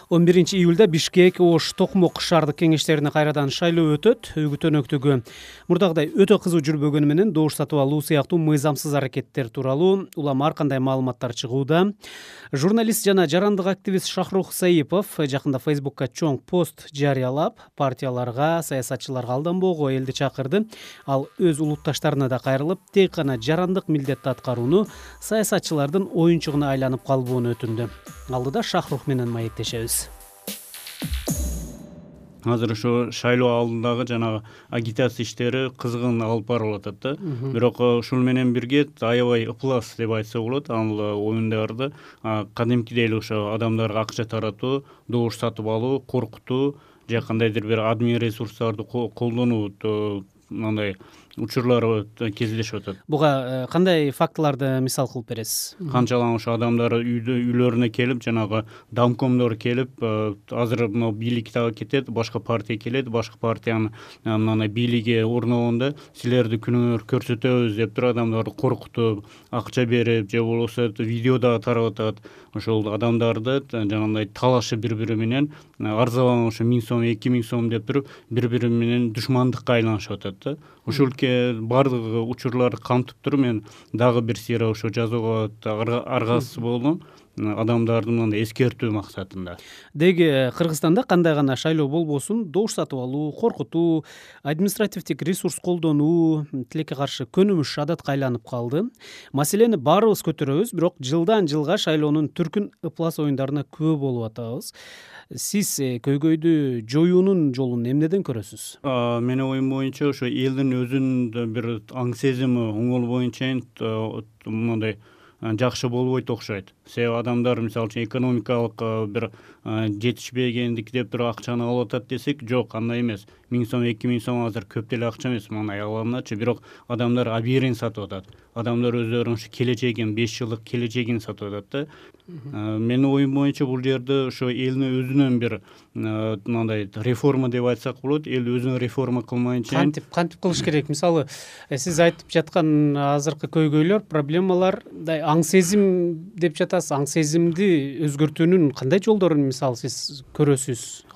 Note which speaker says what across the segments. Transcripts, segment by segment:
Speaker 1: 11-июлда Бишкек, Ош, Токмок шаардык кеңештерине кайрадан шайлоо өтөт. Үгүт өнөктүгү мурдагыдай өтө кызуу жүрбөгөнү менен добуш сатып алуу сыяктуу мыйзамсыз аракеттер тууралуу улам ар кандай маалыматтар чыгууда. Журналист жана жарандык активист Шахрух Саипов жакында Фейсбукка чоң пост жарыялап, партияларга, саясатчыларга алданбоого элди чакырды. Ал өз улутташтарына да кайрылып, тек гана жарандык милдетти аткарууну саясатчылардын оюнчугуна айланып калбоону өтүндү. Алдыда Шахрух менен маектешебиз.
Speaker 2: Азыр ошо шайлоо алдындагы жанагы агитация иштери кызгын алып барылып атат да. Бирок ушул менен бирге аябай ыплас деп айтса болот. Ал оюндарды кадимкидей эле ошо адамдарга акча таратуу, добуш сатып алуу, коркутуу же кандайдыр бир админ ресурстарды колдонуу мындай учурлар кездешип атат.
Speaker 1: Буга кандай фактыларды мисал кылып бересиз?
Speaker 2: Канчалам ошо адамдар үйлөрүнө келип, жанагы домкомдор келип, азыр мына бийлик дагы кетет, башка партия келет, башка партиянын мындай бийлиги орногондо силерди күнөөр көрсөтөбүз деп туруп адамдарды коркутуп, акча берип же болбосо видео дагы таратып атат. Ошол адамдарды жанагындай талашып бири-бири менен арзабан ошо 1000 сом, 2000 сом деп туруп бири-бири менен душмандыкка айланышып атат да. Ушул бардык учурларды камтып туруп мен дагы бир сыйра ошо жазууга аргасыз болдум. Адамдарды мындай эскертүү максатында.
Speaker 1: Деги Кыргызстанда кандай гана шайлоо болбосун, добуш сатып алуу, коркутуу, административдик ресурс колдонуу тилекке каршы көнүмүш адатка айланып калды. Маселени баарыбыз көтөрөбүз, бирок жылдан жылга шайлоонун түркүн ыплас оюндарына күбө болуп атабыз. Сиз көйгөйдү жоюунун жолун эмнеден көрөсүз?
Speaker 2: Менин оюм боюнча ошо элдин өзүнүн бир аң сезими оңол боюнча мындай жакшы болбойт окшойт. Себеби адамдар мисалы үчүн экономикалык бир жетишпегендик деп туруп акчаны алып атат десек, жок, андай эмес. 1000 сом, 2000 сом азыр көп деле акча эмес, мына аяларыначы, бирок адамдар абийирин сатып атат. Адамдар өздөрүнүн ушу келечегин, 5 жылдык келечегин сатып атат да. Менин оюм боюнча бул жерде ошо элдин өзүнүн бир мындай реформа деп айтсак болот. Эл өзүн реформа кылмайынча
Speaker 1: кантип кылыш керек? Мисалы, сиз айтып жаткан азыркы көйгөйлөр, проблемалар аң сезим деп жатасыз. Аң сезимди өзгөртүүнүн кандай жолдорун мисалы сиз көрөсүз?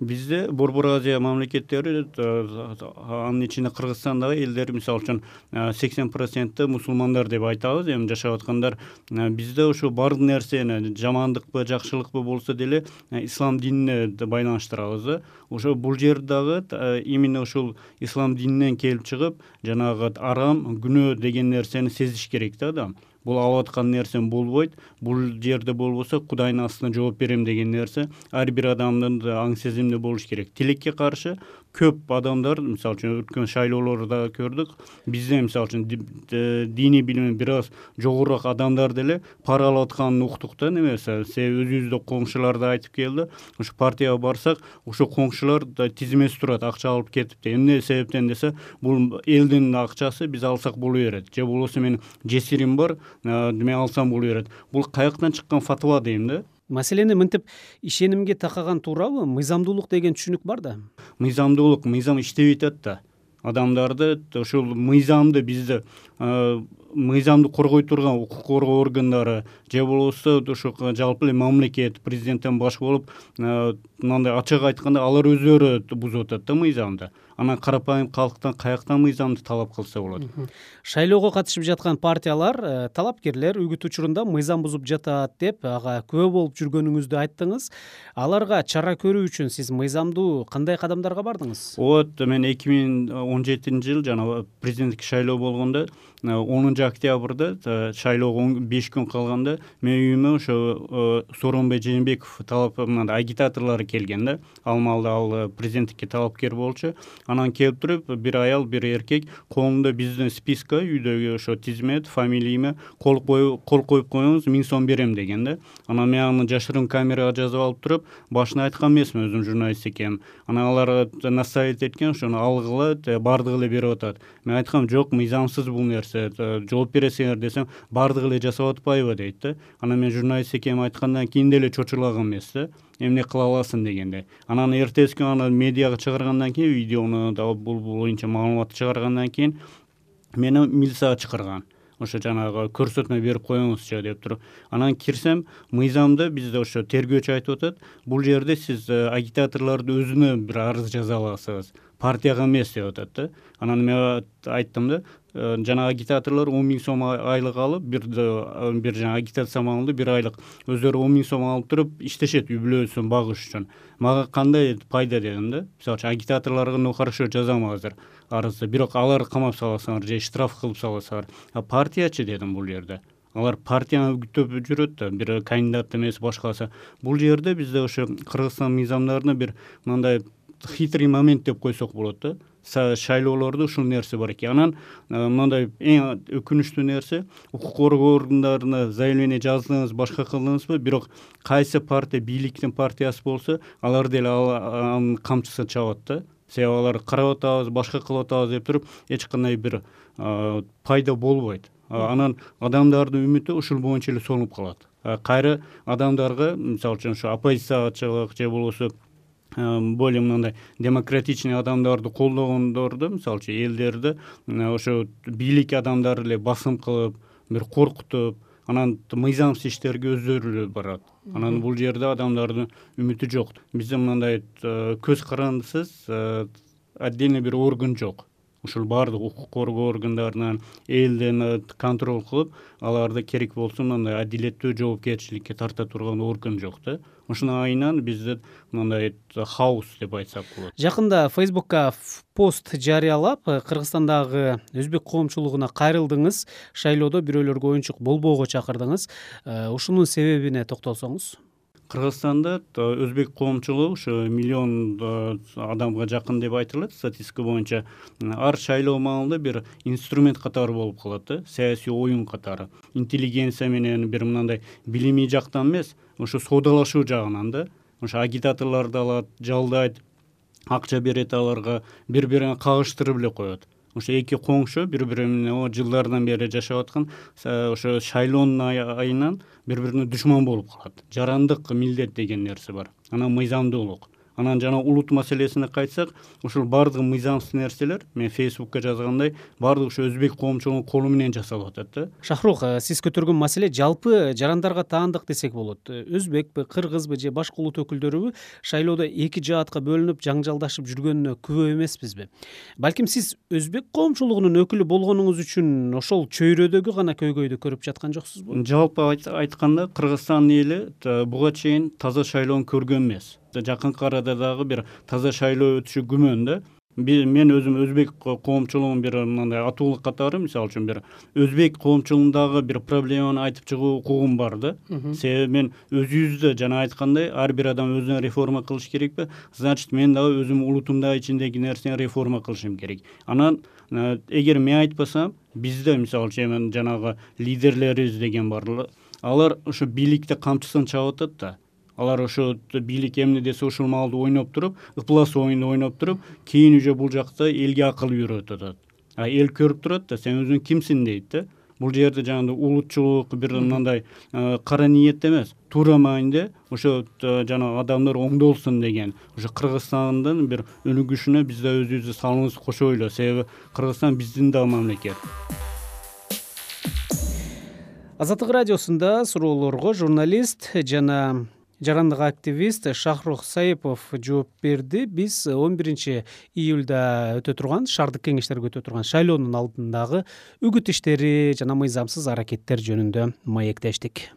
Speaker 2: Бизде Борбор Азия мамлекеттери, анын ичинде Кыргызстандагы элдер мисалы үчүн 80% мусулмандар деп айтабыз, эми жашап аткандар. Бизде ошо бардык нерсени жамандыкпы, жакшылыкпы болсо деле ислам динине байланыштырабыз да. Ошо бул жер дагы именно ушул ислам дининен келип чыгып, жанагы арам, күнөө деген нерсени сезиш керек да адам. Бул алып аткан нерсем болбойт. Бул жерде болбосо Кудайдын астына жооп берем деген нерсе ар бир адамдын аң сезиминде болуш керек. Тилекке каршы көп адамдар, мисалы үчүн өткөн шайлоолордо көрдүк. Бизде мисалы үчүн диний билими бир аз жогорураак адамдар деле пара алып атканын уктук да, немесе себеби өзүбүздө коңшулар да айтып келди. Ошо партияга барсак, ошо коңшулар тизмеси турат, акча алып кетипти. Эмне себептен десе, бул элдин акчасы, биз алсак боло берет. Же болбосо мен жесирим бар, мен алсам боло берет. Бул каяктан чыккан фатва дейм да.
Speaker 1: Маселени мынтип ишенимге такаган туурабы? Мыйзамдуулук деген түшүнүк бар да.
Speaker 2: Мыйзам иштебей атат да. Адамдарды ошол мыйзамды бизде мыйзамды коргой турган укук коргоо органдары же болбосо ошо жалпы эле мамлекет, президенттен баш болуп мындай ачык айтканда алар өздөрү бузуп атат да мыйзамды. Анан карапайым калктан каяктан мыйзамды талап кылса болот?
Speaker 1: Шайлоого катышып жаткан партиялар, талапкерлер үгүт учурунда мыйзам бузуп жатат деп ага күбө болуп жүргөнүңүздү айттыңыз. Аларга чара көрүү үчүн сиз мыйзамдуу кандай кадамдарга бардыңыз?
Speaker 2: Мен 2017-жыл жана президенттик шайлоо болгондо 10 октябрда шайлоого 5 күн калганда менин үйүмө ошо Сооронбай Жээнбеков мындай агитаторлору келген да. Ал маалда ал президенттикке талапкер болчу. Анан келип туруп, бир аял, бир эркек колунда биздин списка, үйдөгү ошо тизмет, фамилияме кол коюп коюңуз, 1000 сом берем деген да. Анан мен аны жашырын камерага жазып алып туруп, башына айткан эмесмин, өзүм журналист экенмин. Анан алар насаит эткен, ошону алгыла, бардыгы эле берип атат. Мен айткам, жок, мыйзамсыз бул нерсе, жооп бересиңер десем, бардыгы эле жасап атпайбы дейт да. Анан мен журналист экенин айткандан кийин деле чочулаган эмес да. Эмне кыла аласың дегенде. Анан эртеси күнү аны медиага чыгаргандан кийин, видеону да бул боюнча маалымат чыгаргандан кийин мени милицияга чакырган. ошо жанагы көрсөтмө берип коюңузчу деп туруп анан кирсем мыйзамда бизде ошо тергөөчү айтып атат, бул жерде сиз агитаторлорду өзүнө бир арыз жаза аласыз, партияга эмес деп атат да. Анан мен айттым да, жана агитаторлор 10 000 сом айлык алып, бир жана агитация маалында 1 айлык өздөрү 10 000 сом алып туруп иштешет үй бүлөсүн багыш үчүн. Мага кандай пайда дедим да. Мисалы үчүн агитаторлорго хорошо жазам азыр арызды, бирок аларды камап саласаңар же штраф кылып саласаңар. Партиячы дедим бул жерде. Алар партияны күтүп жүрөт да, бир кандидат эмес башкасы. Бул жерде бизде ошо Кыргызстан мыйзамдарында бир мындай хитрый момент деп койсок болот да. Шайлоолордо ушул нерсе бар экен. Анан мындай эң өкүнүчтүү нерсе, укук коргоо органдарына заявление жаздыңыз, башка кылдыңызбы, бирок кайсы партия бийликтин партиясы болсо, алар деле анын камчысын чабат да. Себеби алар карап атабыз, башка кылып атабыз деп туруп эч кандай бир пайда болбойт. Анан адамдардын үмүтү ушул боюнча эле сонуп калат. Кайра адамдарга, мисалы үчүн ушу оппозициячылык же болбосо более мындай демократичный адамдарды колдогондорду, мисалы үчүн элдерди ошо бийлик адамдары эле басым кылып, бир коркутуп, анан мыйзамсыз иштерге өздөрү эле барат. Анан бул жерде адамдардын үмүтү жок. Бизде мындай көз карандысыз отдельный бир орган жок. Ушул баардык укук коргоо органдарынан элден контроль кылып, аларды керек болсо мындай адилеттүү жоопкерчиликке тарта турган орган жок да. Ошонун айынан бизде мындай хаос деп айтсак болот.
Speaker 1: Жакында Facebook'ка пост жарыялап, Кыргызстандагы өзбек коомчулугуна кайрылдыңыз, шайлоодо бирөөлөргө оюнчук болбоого чакырдыңыз. Ушунун себебине токтолсоңуз.
Speaker 2: Кыргызстанда өзбек коомчулугу ушу 1 миллион адамга жакын деп айтылат статистика боюнча. Ар шайлоо маалында бир инструмент катары болуп калат да, саясий оюн катары. Интеллигенция менен бир мындай билимий жактан эмес, ошо соодалашуу жагынан да. Ошо агитаторлорду алат, жалдайт, акча берет аларга, бири-бирине кагыштырып эле коет. Ошо эки коңшу бири-бири менен жылдардан бери жашап аткан, ошо шайлоонун айынан бири-бирине душман болуп калат. Жарандык милдет деген нерсе бар. Анан мыйзамдуулук. Анан жана улут маселесине кайтсак, ушул баардык мыйзамсыз нерселер, мен Facebook'ка жазгандай, баардык ушу өзбек коомчулугунун колу менен жасалып атат да.
Speaker 1: Шахрух, сиз көтөргөн маселе жалпы жарандарга таандык десек болот. Өзбекпи, кыргызбы же башка улут өкүлдөрүбү шайлоодо эки жаатка бөлүнүп жаңжалдашып жүргөнүнө күбө эмеспизби? Балким сиз өзбек коомчулугунун өкүлү болгонуңуз үчүн ошол чөйрөдөгү гана көйгөйдү көрүп жаткан жоксузбу?
Speaker 2: Жалпы айтканда Кыргызстан эли буга чейин таза шайлоону көргөн эмес. Жакынкы арада дагы бир таза шайлоо өтүшү күмөн да. Мен өзүм өзбек коомчулугунун бир мындай атуулык катары, мисалы үчүн бир өзбек коомчулугундагы бир проблеманы айтып чыгуу укугум бар да. Себеби мен өзүбүздө жана айткандай, ар бир адам өзүнө реформа кылыш керекпи? Значит, мен дагы өзүм улутумдагы ичиндеги нерсени реформа кылышым керек. Анан эгер мен айтпасам, бизде мисалы үчүн жанагы лидерлерибиз деген бар. Алар ошо бийликте камчысын чабып атат да. Алар ошо бийлик эмне десе ушул маалда ойноп туруп, ыплас оюнду ойноп туруп, кийин уже бул жакта элге акыл үйрөтүп атат. Эл көрүп турат да, сен өзүң кимсиң дейт да. Бул жерде жанагы улутчулук, бир мындай кара ниет эмес, туура мааниде ошо жана адамдар оңдолсун деген, ошо Кыргызстандын бир өнүгүшүнө биз да өзүбүздүн салымыбызды кошойлу, себеби Кыргызстан биздин да мамлекет.
Speaker 1: Азаттык радиосунда суроолорго журналист жана жарандык активист Шахрух Саипов жооп берди. Биз 11-июлда өтө турган, шаардык кеңештерге өтө турган шайлоонун алдындагы үгүт иштери жана мыйзамсыз аракеттер жөнүндө маектештик.